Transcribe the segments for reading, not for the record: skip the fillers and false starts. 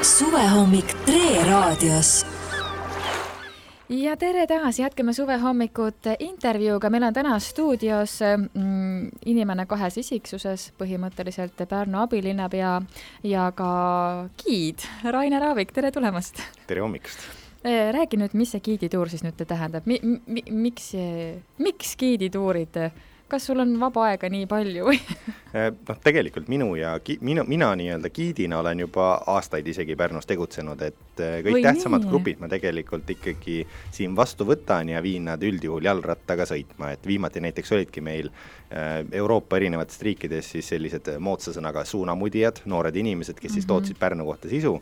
Suvehommik Tre raadios. Ja tere taas, jätkame suvehommikut intervjuuga. Meil on täna stuudios inimene kahes isiksuses, põhimõtteliselt Pärnu abilinnapea ja ka giid Rainer Aavik, tere tulemast. Tere hommikust. Räägi nüüd, mis see giidituur siis nüüd tähendab? Miks giidituurid? Kas sul on vaba aega nii palju? Tegelikult mina nii-öelda giidina olen juba aastaid isegi Pärnus tegutsenud, et kõik tähtsamad grupid ma tegelikult ikkagi siin vastu võtan ja viin nad üldjuhul jalrattaga sõitma, et viimati näiteks olidki meil Euroopa erinevatest riikides siis sellised moodsa sõnaga suunamudijad, noored inimesed, kes siis tootsid Pärnu kohta sisu.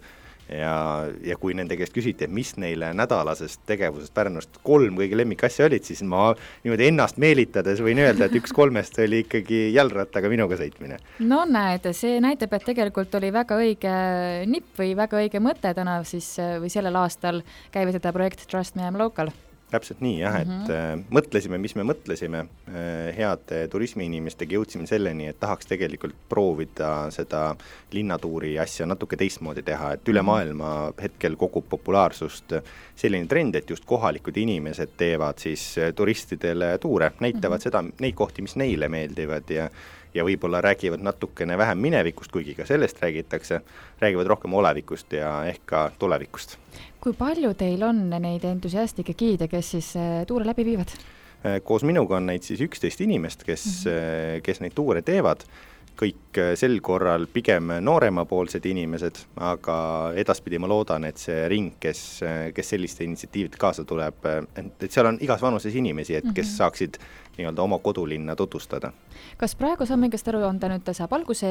Ja kui nende käest küsiti, et mis neile nädalasest tegevusest Pärnust 3 kõige lemmikasja olid, siis ma niimoodi ennast meelitades võin öelda, et 1 3 oli ikkagi jalrattaga minuga sõitmine. No näed, see näitab, et tegelikult oli väga õige nipp või väga õige mõte täna siis või sellel aastal käivitada projekt Trust Me I'm Local. Täpselt nii, jah, et mõtlesime, mis me mõtlesime. Head turismiinimestega jõudsime selleni, et tahaks tegelikult proovida seda linnatuuri asja natuke teistmoodi teha, et üle maailma hetkel kogub populaarsust selline trend, et just kohalikud inimesed teevad siis turistidele tuure, näitavad seda, neid kohti, mis neile meeldivad ja võib-olla räägivad natukene vähem minevikust, kuigi ka sellest räägivad rohkem olevikust ja ehk ka tulevikust. Kui palju teil on neid entusiastlikke giide, kes siis tuure läbi viivad? Koos minuga on neid siis 11 inimest, kes neid tuure teevad. Kõik sel korral pigem nooremapoolsed inimesed, aga edaspidi ma loodan, et see ring, kes selliste initsiatiivide kaasa tuleb, et seal on igas vanuses inimesi, et kes saaksid nii-öelda oma kodulinna tutvustada. Kas praegu saan mingest aru, on ta nüüd saab alguse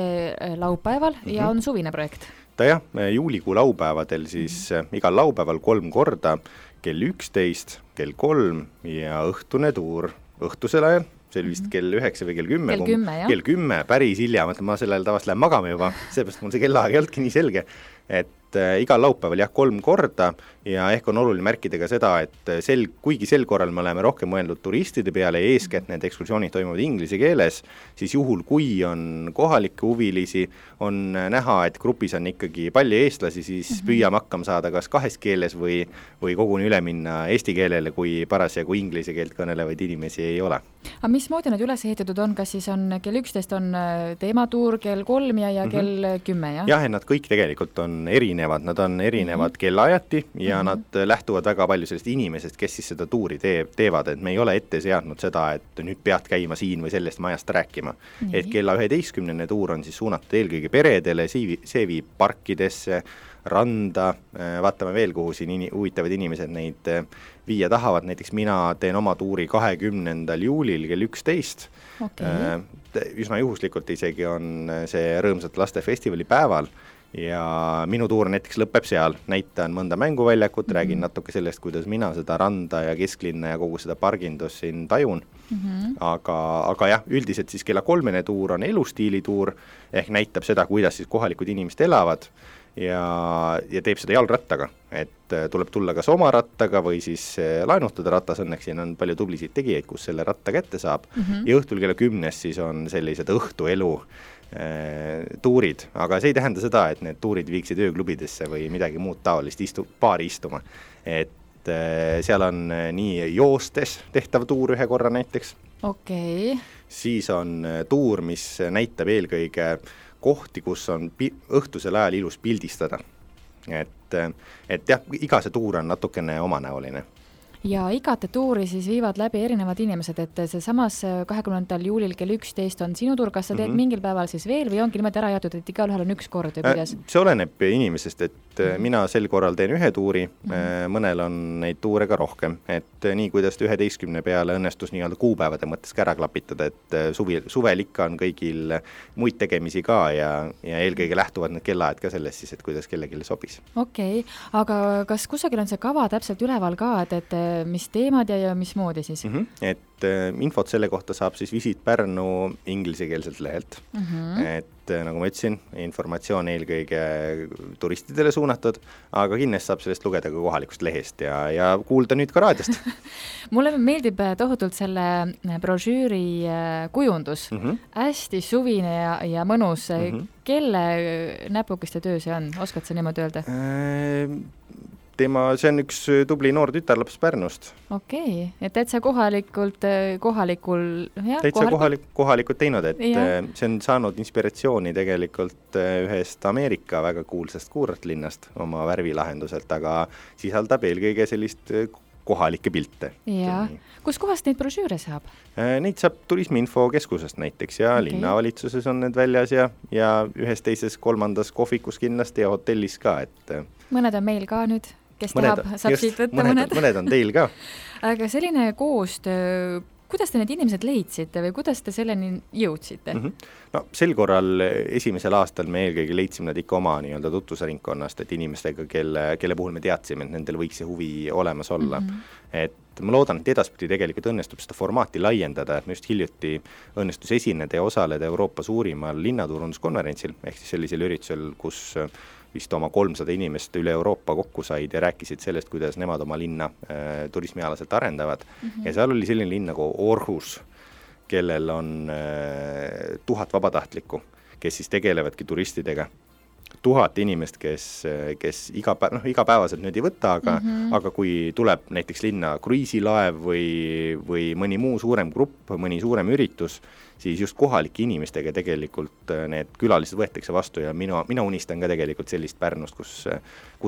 laupäeval ja on suvine projekt? Ta jah, juulikuu laupäevadel siis igal laupäeval 3 korda, kell 11, kell 3 ja õhtune tuur õhtusel ajal. See oli vist kell 9 või kell 10. Kell 10, päris hilja, ma sellel tavast lähen magama juba, seepärast mul see kellaaeg ei olnudki nii selge, et igal laupäeval 3 korda ja ehk on oluline märkida ka seda, et kuigi sel korral me oleme rohkem mõeldud turistide peale ja eeskätt need ekskursioonid toimuvad inglise keeles, siis juhul kui on kohalikke huvilisi, on näha, et grupis on ikkagi palju eestlasi, siis püüame hakkama saada kas 2 keeles või koguni üle minna eesti keelele, kui parasjagu inglise keelt kõnelevaid inimesi ei ole. Aga mismoodi need üles ehitatud on? Kas siis on kell 11 on teematuur, kell 3 ja kell 10, jah? Jah, nad kõik tegelikult on erinevad, nad on erinevad kellaajati ja nad lähtuvad väga palju sellest inimesest, kes siis seda tuuri teevad, et me ei ole ette seadnud seda, et nüüd pead käima siin või sellest majast rääkima. Et kella 11. tuur on siis suunatud eelkõige peredele, see viib parkidesse, randa, vaatame veel, kuhu siin huvitavad inimesed neid viia tahavad, näiteks mina teen oma tuuri 20. juulil kell 11. Üsna juhuslikult isegi on see rõõmsat lastefestivali päeval ja minu tuur näiteks lõpeb seal, näitan mõnda mänguväljakut, räägin natuke sellest, kuidas mina seda randa ja kesklinna ja kogu seda pargindust siin tajun. Aga jah, üldiselt siis kella 3. tuur on elustiilituur, ehk näitab seda, kuidas siis kohalikud inimesed elavad ja teeb seda jalrattaga, et tuleb tulla kas oma rattaga või siis laenutada ratas, õnneks siin on palju tublisid tegijaid, kus selle ratta kätte saab ja õhtul kella 10 siis on sellised õhtuelu tuurid, aga see ei tähenda seda, et need tuurid viiksid ööklubidesse või midagi muud taolist paari istuma, et seal on nii joostes tehtav tuur 1 korra näiteks, siis on tuur, mis näitab eelkõige kohti, kus on õhtusel ajal ilus pildistada, et jah, iga see tuur on natukene omanäoline. Ja igate tuuri siis viivad läbi erinevad inimesed, et see samas 20. juulil kell 11 on sinu tuur, kas sa teed mingil päeval siis veel või ongi niimoodi ära jaotud, et igal ühel on 1 kord või kuidas? See oleneb inimesest, et mina sel korral teen 1 tuuri, mõnel on neid tuure ka rohkem, et nii kuidas 11 peale õnnestus nii-öelda kuupäevade mõttes ära klapitada, et suvel ikka on kõigil muid tegemisi ka ja eelkõige lähtuvad need kellaajad ka sellest siis, et kuidas kellelegi sobis. Aga kas kusagil on see kava täpselt üleval ka, et mis teemad ja mis moodi siis? Et infot selle kohta saab siis Visit Pärnu inglisekeelselt lehelt. Et nagu ma ütlesin, informatsioon eelkõige turistidele suunatud, aga kindlasti saab sellest lugeda ka kohalikust lehest ja kuulda nüüd ka raadiost. Mulle meeldib tohutult selle brošüüri kujundus. Hästi suvine ja mõnus. Kelle näpukeste töö see on? Oskad sa niimoodi öelda? See on üks tubli noor tütarlaps Pärnust. Okei, et täitsa kohalikult kohalikult teinud, et see on saanud inspiratsiooni tegelikult ühest Ameerika väga kuulsast kuurortlinnast oma värvilahenduselt, aga sisaldab eelkõige sellist kohalikke pilte. Ja. Kus kohast neid brošüüre saab? Neid saab Turismiinfokeskusest näiteks ja linnavalitsuses on need väljas ja ühes teises kolmandas kohvikus kindlasti ja hotellis ka. Mõned on meil ka nüüd, kes tahab, saab siit võtta mõned. Mõned on teil ka. Aga selline koostöö, kuidas te need inimesed leidsite või kuidas te selleni jõudsite? No sel korral esimesel aastal me eelkõige leidsime nad ikka oma nii-öelda tutvusringkonnast, et inimestega, kelle puhul me teadsime, et nendel võiks see huvi olemas olla. Et ma loodan, et edaspidi tegelikult õnnestub seda formaati laiendada, et me just hiljuti õnnestus esineda ja osaleda Euroopa suurimal linnaturunduskonverentsil, ehk siis sellisel üritusel, kus vist oma 300 inimest üle Euroopa kokku said ja rääkisid sellest, kuidas nemad oma linna turismialaselt arendavad. Ja seal oli selline linn nagu Aarhus, kellel on 1000 vabatahtlikku, kes siis tegelevadki turistidega. 1000 inimest, kes igapäevaselt nüüd ei võta, aga kui tuleb näiteks linna kruiisilaev või mõni muu suurem grupp, mõni suurem üritus, siis just kohalike inimestega tegelikult need külalised võetakse vastu ja mina unistan ka tegelikult sellist Pärnust, kus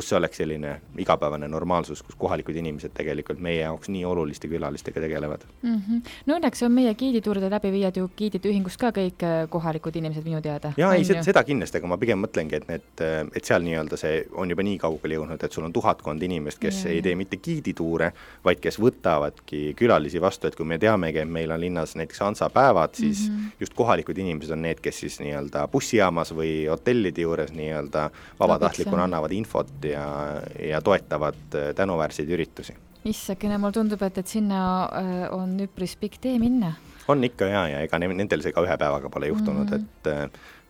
see oleks selline igapäevane normaalsus, kus kohalikud inimesed tegelikult meie jaoks nii oluliste külalistega tegelevad. No õnneks on meie giidituuride läbiviijad ju giidide ühingust ka kõik kohalikud inimesed minu teada. Jaa, seda kindlasti, aga ma pigem mõtlengi, et seal nii-öelda see on juba nii kaugele jõudnud, et sul on 1000 inimest, kes ei tee mitte giidituure, vaid kes võtavadki külalisi vastu, et kui me teamegi, et meil on linnas näiteks Hansa-päevad, siis just kohalikud inimesed on need, kes siis nii-öelda bussijaamas või hotellide juures nii-öelda vabatahtlikuna annavad infot ja toetavad tänuväärseid üritusi. Issakene, mul tundub, et sinna on üpris pikk tee minna. On ikka ja ega nendel see ka ühe päevaga pole juhtunud, et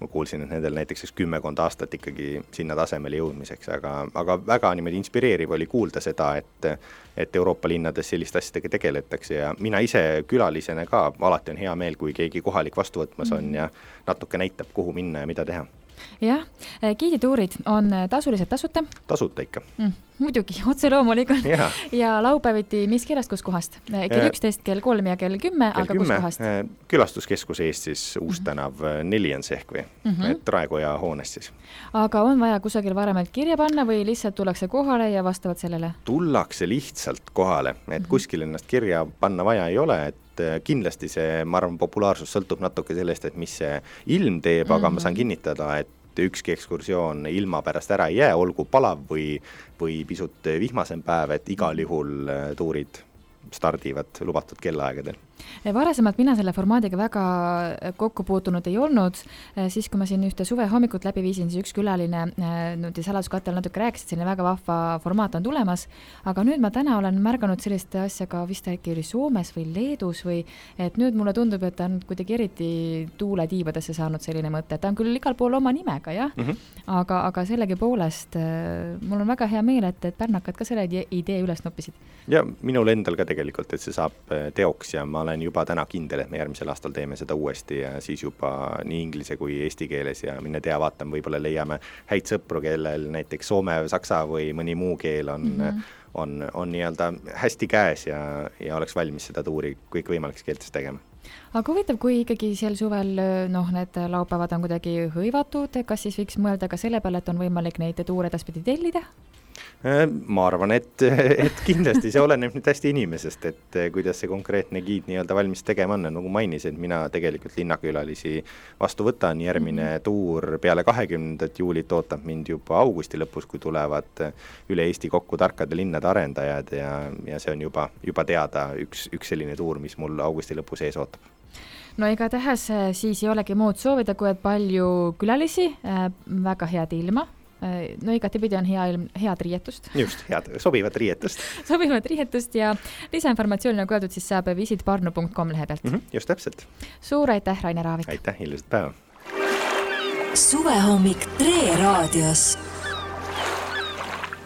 ma kuulsin, et nendel näiteks 10 aastat ikkagi sinna tasemele jõudmiseks, aga väga niimoodi inspireeriv oli kuulda seda, et Euroopa linnades sellist asjadega tegeletakse ja mina ise külalisena ka alati on hea meel, kui keegi kohalik vastu võtmas on ja natuke näitab, kuhu minna ja mida teha. Jah, giidituurid on tasulised tasuta? Tasuta ikka. Muidugi, otse loomulikult. Ja laupäeviti mis kellast, kus kohast? Kell 11, kell 3 ja kell 10, aga kus kohast? Külastuskeskus Eestis, Uustänav 4 on see ehk või, et Raekoja hoonest siis. Aga on vaja kusagil varemalt kirja panna või lihtsalt tullakse kohale ja vastavad sellele? Tullakse lihtsalt kohale, et kuskil ennast kirja panna vaja ei ole, et kindlasti see, ma arvan, populaarsus sõltub natuke sellest, et mis see ilm teeb, aga ma saan kinnitada, et ükski ekskursioon ilma pärast ära ei jää, olgu palav või pisut vihmasem päev, et igal juhul tuurid stardivad lubatud kellaaegadel. Varasemalt mina selle formaadiga väga kokku puutunud ei olnud, siis kui ma siin ühte suve hommikut läbi viisin, siis üks külaline saladuskattel natuke rääkis, et selline väga vahva formaat on tulemas, aga nüüd ma täna olen märganud sellist asja ka vist äkki oli Soomes või Leedus või et nüüd mulle tundub, et ta on kuidagi eriti tuuletiibadesse saanud selline mõte, ta on küll igal pool oma nimega, jah, aga sellegi poolest mul on väga hea meel, et pärnakad ka selle idee üles noppisid. Ja minul endal ka tegelikult, et see saab teoks ja ma olen juba täna kindel, et me järgmisel aastal teeme seda uuesti ja siis juba nii inglise kui eesti keeles ja mine tea, vaatame, võib-olla leiame häid sõpru, kellel näiteks soome, saksa või mõni muu keel on nii-öelda hästi käes ja oleks valmis seda tuuri kõik võimaliks keeltes tegema. Aga huvitav, kui ikkagi sel suvel need laupäevad on kuidagi hõivatud, kas siis võiks mõelda ka selle peale, et on võimalik neid tuure edaspidi tellida? Ma arvan, et kindlasti see oleneb nüüd hästi inimesest, et kuidas see konkreetne giid nii-öelda valmis tegema on, nagu mainis, et mina tegelikult linnakülalisi vastu võtan, järgmine tuur peale 20. juulit ootab mind juba augusti lõpus, kui tulevad üle Eesti kokku tarkade linnade arendajad ja see on juba teada üks selline tuur, mis mul augusti lõpus ees ootab. No igatahes siis ei olegi muud soovida, kui et palju külalisi, väga head ilma. No igatepidi on head riietust. Just, sobivat riietust. Sobivat riietust ja lisainformatsiooni, nagu öeldud, siis saab visitparnu.com lehe pealt. Just täpselt. Suur aitäh, Rainer Aavik. Aitäh, ilusat päeva. suvehommik Tre raadios.